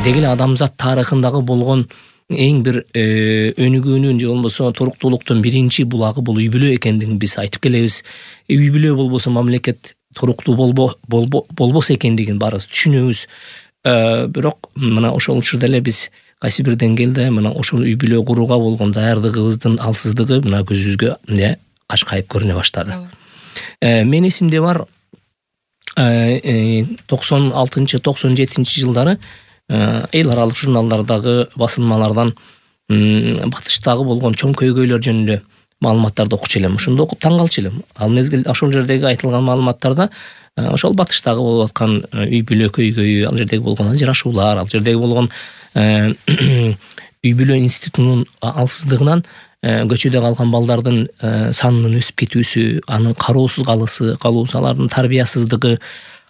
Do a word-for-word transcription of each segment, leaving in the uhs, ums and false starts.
деги эле адамзат тарыхындагы болгон эң бир өнүгүүнүн же болбосо туруктуулуктун биринчи булагы бул үй бүлө экендигин биз айтып келебиз. Үй бүлө болбосо мамлекет туруктуу болбо болбос экендигин баарыбыз түшүнөбүз. Бирок мына ошол учурда эле биз кайсы бир деңгээлде мына ошол үй бүлө курууга болгон даярдыгыбыздын алсыздыгы мына көзүбүзгө эмне кашкайып көрүнө баштады. Мен эсимде бар токсон алтынчы токсон жетинчи жылдары эл аралык журналдардагы басылмалардан батыштагы болгон чоң көйгөйлөр жөнүндө маалыматтарды окучу элем. Ошондо окуп таң калчу элем. Ал мезгил ошол жердеги айтылган маалыматтарда ошол батыштагы болуп аткан үй бүлө көйгөйү, ал жердеги болгон ажырашуулар, ал жердеги болгон үй бүлө институтунун алсыздыгынан көчөдө калган балдардын санынын өсүп кетүүсү, анын кароосуз калысы, калуусу, алардын тарбиясыздыгы,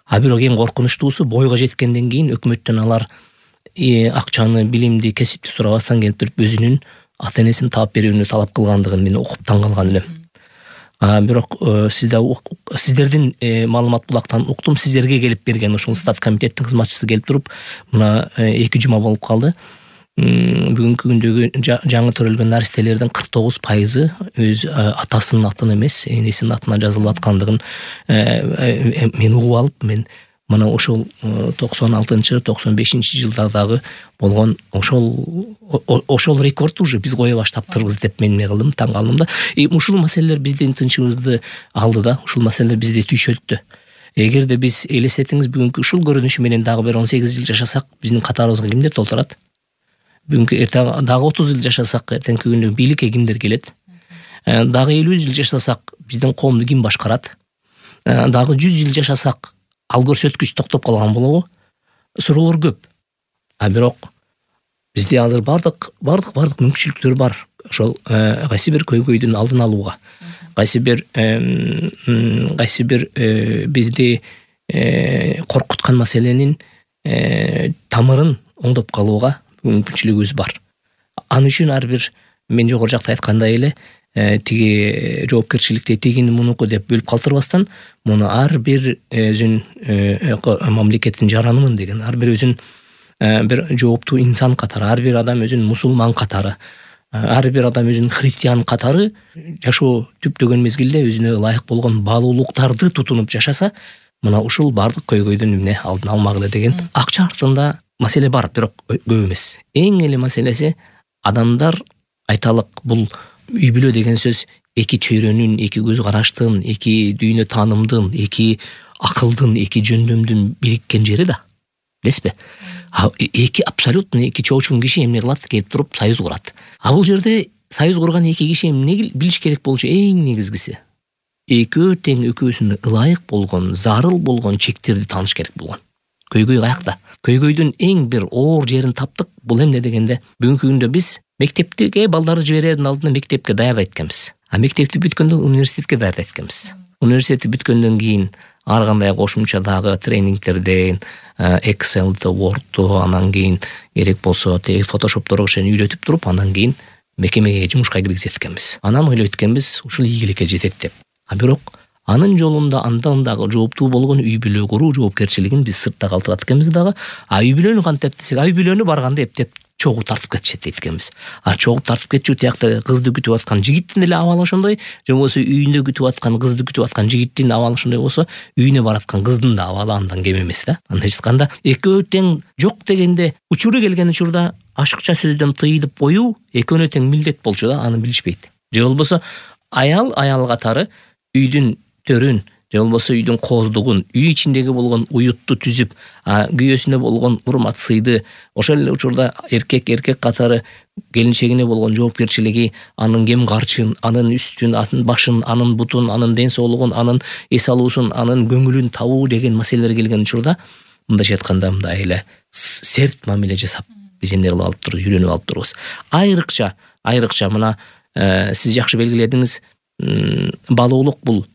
а бирок эң коркунучтуусу бойго жеткенден кийин өкмөттөн алар акчаны, билимди, кесипти сурабастан келип туруп өзүнүн ата энесин таап берүүнү талап кылгандыгын мен окуп таң калган элем. Бирок сизде сиздердин маалымат булактан уктум, сиздерге келип берген ошол стат комитеттин кызматчысы келип туруп мына эки жума болуп калды. Бүгүнкү күндөгү жаңы төрөлгөн наристелердин кырк тогуз пайызы өз атасынын атына эмес, энесинин атына жазылып аткандыгын мен угуп алып, мен мына ошол токсон алтынчы токсон бешинчи жылдардагы болгон ошол ошол рекорд уже биз кое баштаптырбыз деп мен эмне кылдым, таң калдым да. Ушул маселелер биздин тынчыбызды алды да, ушул маселелер бизди түйшөлттү. Эгерде биз элестетиңиз, бүгүнкү ушул көрүнүшү менен дагы бир он сегиз жыл жашасак, биздин катарыбызга кимдер толтурат? Бүгүнкү эртең дагы отуз жыл жашасак, эртеңки күндө бийликке кимдер келет? Дагы элүү жыл жашасак, биздин коомду ким башкарат? Дагы жүз жыл жашасак, ал көрсөткүч токтоп калган болобу? Суроолор көп. А бирок бизде азыр бардык бардык бардык мүмкүнчүлүктөр бар. Ошол кайсы бир көйгөйдүн алдын алууга, кайсы бир кайсы бир бизди коркуткан маселенин тамырын оңдоп калууга мүмкүнчүлүгүбүз бар. Ал үчүн ар бир мен жогору жакта айткандай эле тиги жоопкерчиликти тигини мунуку деп бөлүп калтырбастан, муну ар бир өзүн мамлекеттин жаранымын деген, ар бир өзүн бир жооптуу инсан катары, ар бир адам өзүн мусулман катары, ар бир адам өзүн христиан катары жашоо түптөгөн мезгилде өзүнө ылайык болгон баалуулуктарды тутунуп жашаса, мына ушул бардык көйгөйдүн эмне алдын алмак эле деген. Акча артында маселе бар, бирок көп эмес. Эң эле маселеси адамдар айталык, бул үй бүлө деген сөз эки чөйрөнүн, эки көз караштын, эки дүйнө таанымдын, эки акылдын, эки жөндөмдүн бириккен жери да. Билесизби? Эки абсолютно эки чоочун киши эмне кылат? Келип туруп союз курат. А бул жерде союз курган эки киши эмне билиш керек болчу? Эң негизгиси экөө тең экөөсүнө ылайык болгон, зарыл болгон чектерди тааныш керек болгон. Көйгөй каякта? Көйгөйдүн эң бир оор жерин таптык. Бул эмне дегенде, бүгүнкү күндө биз мектепке балдарды жиберердин алдында мектепке даярдайт экенбиз. А мектепти бүткөндөн университетке даярдайт экенбиз. Университетти бүткөндөн кийин ар кандай кошумча дагы тренингтерден, Excel'ди, Word'ду, анан кийин керек болсо теги Photoshop'торго шен үйрөтүп туруп, анан кийин мекемеге жумушка киргизет экенбиз. Анан ойлойт экенбиз, ушул ийгиликке жетет деп. А бирок анын жолунда андан дагы жооптуу болгон үй бүлө куруу жоопкерчилигин биз сыртта калтырат экенбиз дагы. А үй бүлөнү кантип десек, үй бүлөнү барганда эптеп чогуу тартып кетишет дейт экенбиз. А чогуу тартып кетчү тиякта кызды күтүп аткан жигиттин эле абалы ошондой, же болбосо үйүндө күтүп аткан кызды күтүп аткан жигиттин абалы ошондой болсо, үйүнө бараткан кыздын да абалы андан кем эмес да. Андайча айтканда, экөө тең жок дегенде, учуру келген учурда ашыкча сөздөн тыйылып коюу экөөнө тең милдет болчу да, аны билишпейт. Же болбосо аял аял катары үйдүн төрүн, же болбосо үйдүн кооздугун, үй ичиндеги болгон уютту түзүп, күйөөсүнө болгон урмат сыйды, ошол эле учурда эркек эркек катары келинчегине болгон жоопкерчилиги, анын кем карчын, анын үстүн, анын башын, анын бутун, анын ден соолугун, анын эс алуусун, анын көңүлүн табуу деген маселелер келген учурда, мындайча айтканда мындай эле серт мамиле жасап, биз эмне кылып алып турбуз, үйрөнүп алып турбуз. Айрыкча, айрыкча мына сиз жакшы белгиледиңиз, балуулук бул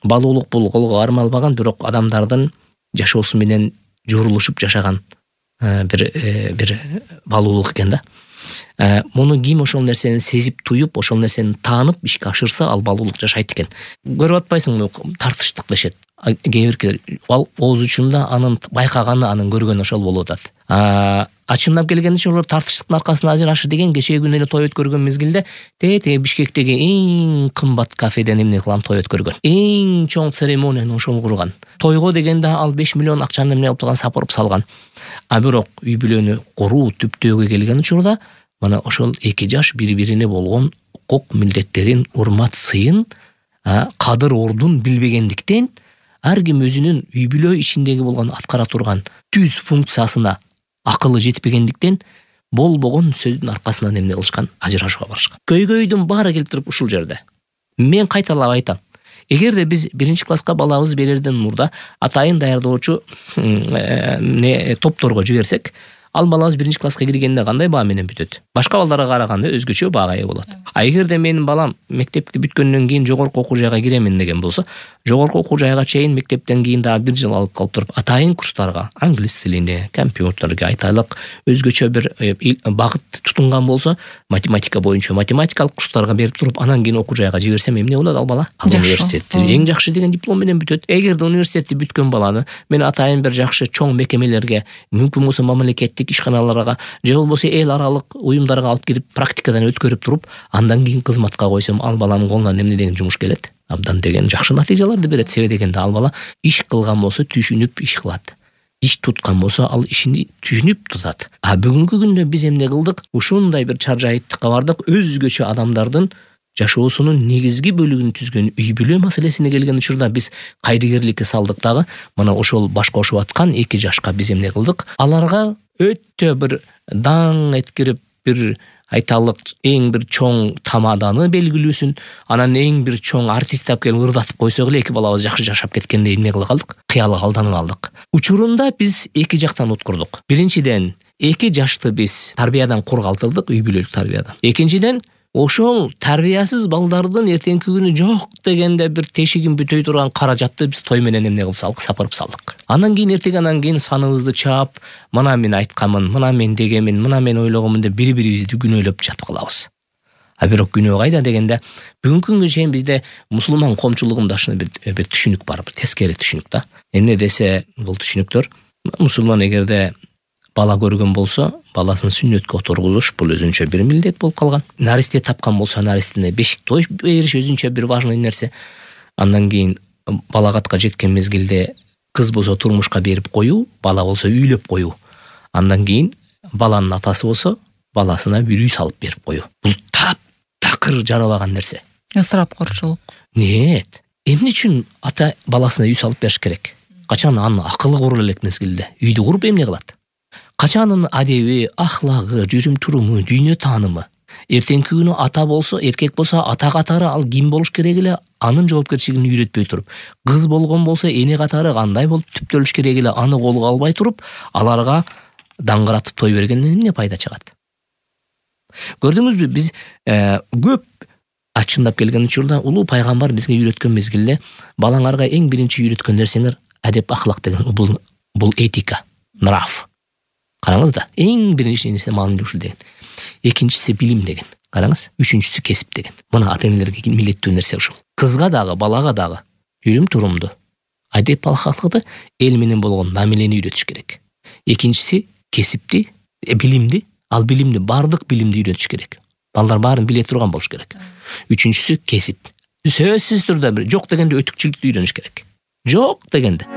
Балуулук бул колго кармалбаган, бирок адамдардын жашоосу менен жорулушуп жашаган бир бир балуулук экен да. Муну ким ошол нерсени сезип, туюп, ошол нерсени таанып ишке ашырса, ал балуулук жашайт экен. Көрүп атпайсыңбы, тартыштык дешет. кээ биркилер ал ооз учунда анын байкаганы, анын көргөнү ошол болуп атат. А чындап келгенде ошол тартыштыктын аркасында ажырашы деген кечээ күнү эле той өткөргөн мезгилде тете Бишкектеги эң кымбат кафеден эмне кылган той өткөргөн. Эң чоң церемонияны ошол курган. Тойго дегенде ал беш миллион акчаны эмне кылып сапырып салган. А бирок үй бүлөнү куруу түптөөгө келген учурда мына ошол эки жаш бири-бирине болгон укук милдеттерин, урмат сыйын, кадыр ордун билбегендиктен ар ким өзүнүн үй бүлө ичиндеги болгон аткара турган түз функциясына акылы жетпегендиктен болбогон сөздүн аркасынан эмне кылышкан, ажырашууга барышкан. Көйгөйдүн баары келип туруп ушул жерде. Мен кайталап айтам. Эгерде биз биринчи класска балабыз берерден мурда атайын даярдоочу не топторго жиберсек, ал балабыз биринчи класска киргенде кандай баа менен бүтөт? Башка балдарга караганда өзгөчө баага ээ болот. А эгерде менин балам мектепти бүткөндөн кийин жогорку окуу жайга киремин деген болсо, жогорку окуу жайга чейин мектептен кийин дагы бир жыл алып калып туруп, атайын курстарга, англис тилине, компьютерге, айтайлык өзгөчө бир багыт тутунган болсо, математика боюнча математикалык курстарга берип туруп, анан кийин окуу жайга жиберсем эмне болот ал бала? Ал университетти эң жакшы деген диплом менен бүтөт. Эгерде университетти бүткөн баланы мен атайын бир жакшы чоң мекемелерге, мүмкүн болсо мамлекеттик ишканаларга, же болбосо эл аралык уюмдарга алып кирип практикадан өткөрүп туруп, андан кийин кызматка койсом, ал баланын колунан эмне деген жумуш келет? Абдан деген жакшы натыйжаларды берет. Себеби дегенде ал бала иш кылган болсо түшүнүп иш кылат. Иш туткан болсо ал ишин түшүнүп тутат. А бүгүнкү күндө биз эмне кылдык? Ушундай бир чаржайыттыкка бардык. Өзгөчө адамдардын жашоосунун негизги бөлүгүн түзгөн үй бүлө маселесине келген учурда биз кайдыгерликке салдык дагы. Мына ошол баш кошуп аткан эки жашка биз эмне кылдык? Аларга өтө бир даң эткирип, бир айталык эң бир чоң тамаданы белгилүүсүн, анан эң бир чоң артист алып келип ырдатып койсок эле эки балабыз жакшы жашап кеткендей эмне кыла калдык? Кыялга алданып алдык. Учурунда биз эки жактан уткурдук. Биринчиден, эки жашты биз тарбиядан кургалтылдык, үй бүлөлүк тарбиядан. Экинчиден, ошол тарбиясыз балдардын эртеңки күнү жок дегенде бир тешигин бүтөй турган каражатты биз той менен эмне кылсак, сапырып салдык. Анан кийин эртең анан кийин саныбызды чаап, мына мен айтканмын, мына мен дегенмин, мына мен ойлогонмун деп бири-бирибизди күнөөлөп жатып калабыз. А бирок күнөө кайда дегенде, бүгүнкү күнгө чейин бизде мусулман коомчулугундашына бир бир түшүнүк бар, бир тескери түшүнүк да. Эмне десе, бул түшүнүктөр мусулман эгерде бала көргөн болсо, баласын сүннөткө отургузуш бул өзүнчө бир милдет болуп калган. Наристе тапкан болсо, наристине бешик той бериш өзүнчө бир важный нерсе. Андан кийин балагатка жеткен мезгилде кыз болсо турмушка берип коюу, бала болсо үйлөп коюу. Андан кийин баланын атасы болсо, баласына бир үй салып берип коюу. Бул тап такыр жарабаган нерсе. Ысырап корчулук. Нет. Эмне үчүн ата баласына үй салып бериш керек? Качан анын акылы курулу элек мезгилде үйдү куруп эмне кылат? Качанын адеби, ахлагы, жүрүм-туруму, дүйнө таанымы. Эртеңки күнү ата болсо, эркек болсо ата катары ал ким болуш керек эле, анын жоопкерчилигин үйрөтпөй туруп, кыз болгон болсо эне катары кандай болуп түптөлүш керек эле, аны колго албай туруп, аларга даңгыратып той бергенден эмне пайда чыгат? Көрдүңүзбү, биз көп ачындап келген учурда улуу пайгамбар бизге үйрөткөн мезгилде балаңарга эң биринчи үйрөткөн нерсеңер адеп, ахлак деген, бул бул этика, нрав. Караңыз да, эң биринчи нерсе маанилүү ушул деген. Экинчиси билим деген. Караңыз, үчүнчүсү кесип деген. Мына ата-энелерге милдеттүү нерсе ушул. Кызга дагы, балага дагы жүрүм-турумду, адеп, ахлакты, эл менен болгон мамилени үйрөтүш керек. Экинчиси кесипти, билимди, ал билимди, бардык билимди үйрөтүш керек. Балдар баарын биле турган болуш керек. Үчүнчүсү кесип. Сөзсүз түрдө бир жок дегенде өтүкчүлүктү үйрөнүш керек. Жок дегенде.